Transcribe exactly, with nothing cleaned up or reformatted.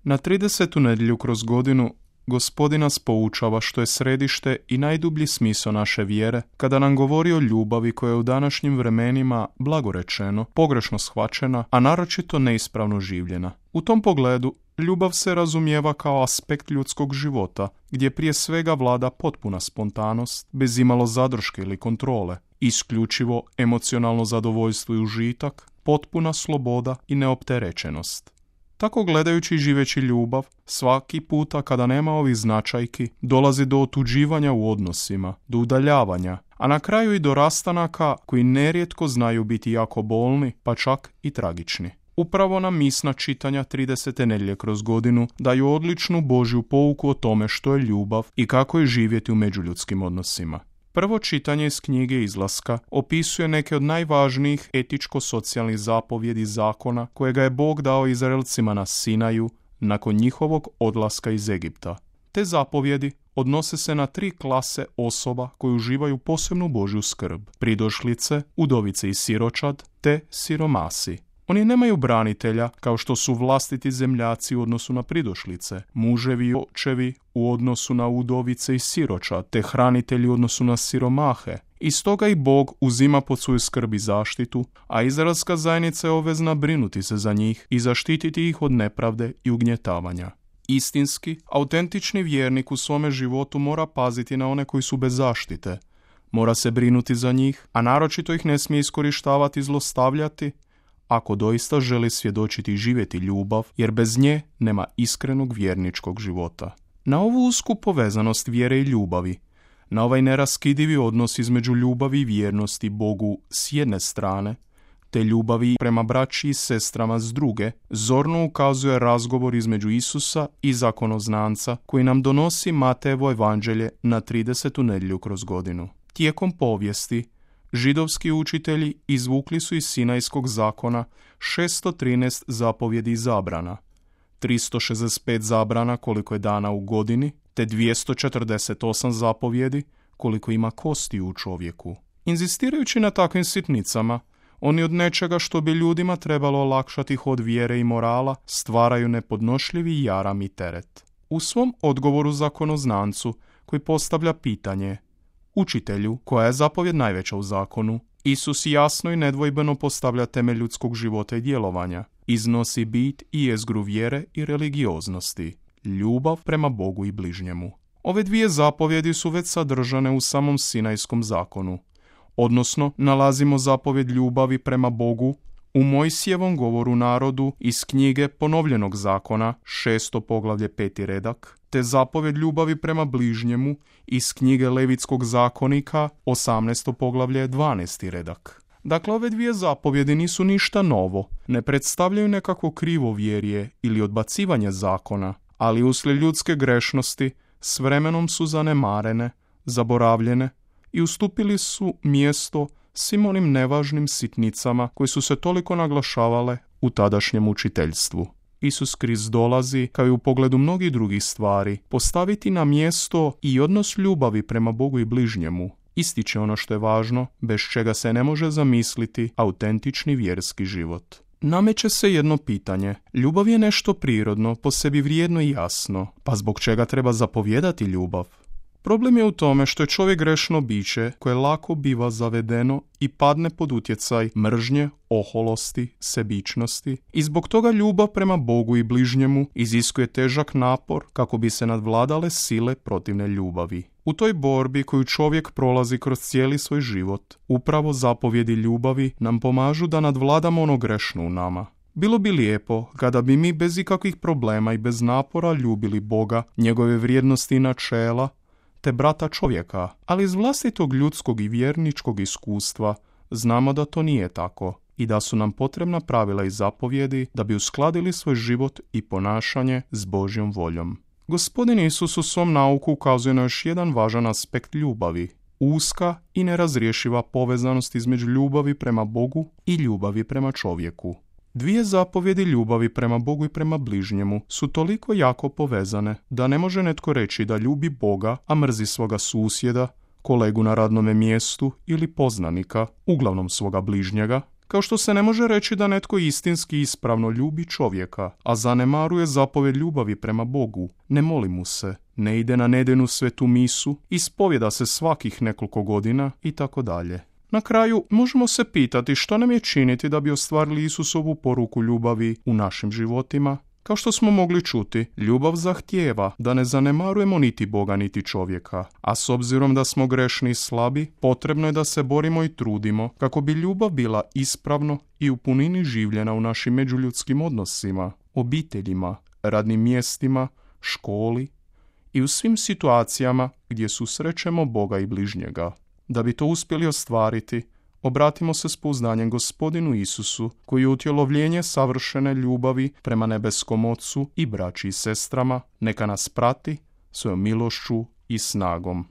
Na tridesetu nedjelju kroz godinu Gospodin nas poučava što je središte i najdublji smisao naše vjere kada nam govori o ljubavi koja je u današnjim vremenima, blagorečeno, pogrešno shvaćena, a naročito neispravno življena. U tom pogledu ljubav se razumijeva kao aspekt ljudskog života, gdje prije svega vlada potpuna spontanost, bez imalo zadrške ili kontrole, isključivo emocionalno zadovoljstvo i užitak, potpuna sloboda i neopterećenost. Tako gledajući i živeći ljubav, svaki puta kada nema ovih značajki, dolazi do otuđivanja u odnosima, do udaljavanja, a na kraju i do rastanaka koji nerijetko znaju biti jako bolni, pa čak i tragični. Upravo nam misna čitanja tridesete nedjelje kroz godinu daju odličnu Božju pouku o tome što je ljubav i kako je živjeti u međuljudskim odnosima. Prvo čitanje iz knjige Izlaska opisuje neke od najvažnijih etičko-socijalnih zapovjedi zakona kojega je Bog dao Izraelcima na Sinaju nakon njihovog odlaska iz Egipta. Te zapovjedi odnose se na tri klase osoba koje uživaju posebnu Božju skrb: pridošlice, udovice i siročad, te siromasi. Oni nemaju branitelja kao što su vlastiti zemljaci u odnosu na pridošlice, muževi i očevi u odnosu na udovice i siročad, te hranitelji u odnosu na siromahe. I stoga i Bog uzima pod svoju skrb i zaštitu, a izraelska zajednica je obvezna brinuti se za njih i zaštititi ih od nepravde i ugnjetavanja. Istinski, autentični vjernik u svome životu mora paziti na one koji su bez zaštite. Mora se brinuti za njih, a naročito ih ne smije iskorištavati i zlostavljati, ako doista želi svjedočiti i živjeti ljubav, jer bez nje nema iskrenog vjerničkog života. Na ovu usku povezanost vjere i ljubavi, na ovaj neraskidivi odnos između ljubavi i vjernosti Bogu s jedne strane, te ljubavi prema braći i sestrama s druge, zorno ukazuje razgovor između Isusa i zakonoznanca koji nam donosi Matejevo evanđelje na tridesetu nedjelju kroz godinu. Tijekom povijesti, židovski učitelji izvukli su iz Sinajskog zakona šesto trinaest zapovjedi i zabrana, tristo šezdeset pet zabrana koliko je dana u godini, te dvjesto četrdeset osam zapovjedi koliko ima kosti u čovjeku. Inzistirajući na takvim sitnicama, oni od nečega što bi ljudima trebalo olakšati hod vjere i morala stvaraju nepodnošljivi jaram i teret. U svom odgovoru zakonoznancu koji postavlja pitanje: Učitelju, koja je zapovjed najveća u zakonu, Isus jasno i nedvojbeno postavlja temelj ljudskog života i djelovanja. Iznosi bit i jezgru vjere i religioznosti, ljubav prema Bogu i bližnjemu. Ove dvije zapovjedi su već sadržane u samom Sinajskom zakonu, odnosno nalazimo zapovjed ljubavi prema Bogu u Mojsijevom govoru narodu iz knjige Ponovljenog zakona, šesto poglavlje, peti redak, te zapovjed ljubavi prema bližnjemu iz knjige Levitskog zakonika, osamnaesto poglavlje, dvanaesti redak. Dakle, ove dvije zapovjedi nisu ništa novo, ne predstavljaju nekakvo krivovjerje ili odbacivanje zakona, ali uslijed ljudske grešnosti s vremenom su zanemarene, zaboravljene i ustupili su mjesto svim onim nevažnim sitnicama koje su se toliko naglašavale u tadašnjem učiteljstvu. Isus Krist dolazi, kao i u pogledu mnogih drugih stvari, postaviti na mjesto i odnos ljubavi prema Bogu i bližnjemu. Ističe ono što je važno, bez čega se ne može zamisliti autentični vjerski život. Nameće se jedno pitanje. Ljubav je nešto prirodno, po sebi vrijedno i jasno, pa zbog čega treba zapovjedati ljubav? Problem je u tome što je čovjek grešno biće koje lako biva zavedeno i padne pod utjecaj mržnje, oholosti, sebičnosti i zbog toga ljubav prema Bogu i bližnjemu iziskuje težak napor kako bi se nadvladale sile protivne ljubavi. U toj borbi koju čovjek prolazi kroz cijeli svoj život, upravo zapovjedi ljubavi nam pomažu da nadvladamo ono grešno u nama. Bilo bi lijepo kada bi mi bez ikakvih problema i bez napora ljubili Boga, njegove vrijednosti i načela, te brata čovjeka, ali iz vlastitog ljudskog i vjerničkog iskustva znamo da to nije tako i da su nam potrebna pravila i zapovjedi da bi uskladili svoj život i ponašanje s Božjom voljom. Gospodin Isus u svom nauku ukazuje na još jedan važan aspekt ljubavi, uska i nerazriješiva povezanost između ljubavi prema Bogu i ljubavi prema čovjeku. Dvije zapovjedi ljubavi prema Bogu i prema bližnjemu su toliko jako povezane da ne može netko reći da ljubi Boga, a mrzi svoga susjeda, kolegu na radnome mjestu ili poznanika, uglavnom svoga bližnjega, Kao što se ne može reći da netko istinski ispravno ljubi čovjeka, a zanemaruje zapovjed ljubavi prema Bogu, ne moli mu se, ne ide na nedeljnu svetu misu, ispovjeda se svakih nekoliko godina i tako dalje. Na kraju možemo se pitati što nam je činiti da bi ostvarili Isusovu poruku ljubavi u našim životima. Kao što smo mogli čuti, ljubav zahtijeva da ne zanemarujemo niti Boga niti čovjeka, a s obzirom da smo grešni i slabi, potrebno je da se borimo i trudimo kako bi ljubav bila ispravno i u punini življena u našim međuljudskim odnosima, obiteljima, radnim mjestima, školi i u svim situacijama gdje susrećemo Boga i bližnjega. Da bi to uspjeli ostvariti, obratimo se s pouznanjem Gospodinu Isusu, koji je utjelovljenje savršene ljubavi prema nebeskom Ocu i braći i sestrama, neka nas prati svojom milošću i snagom.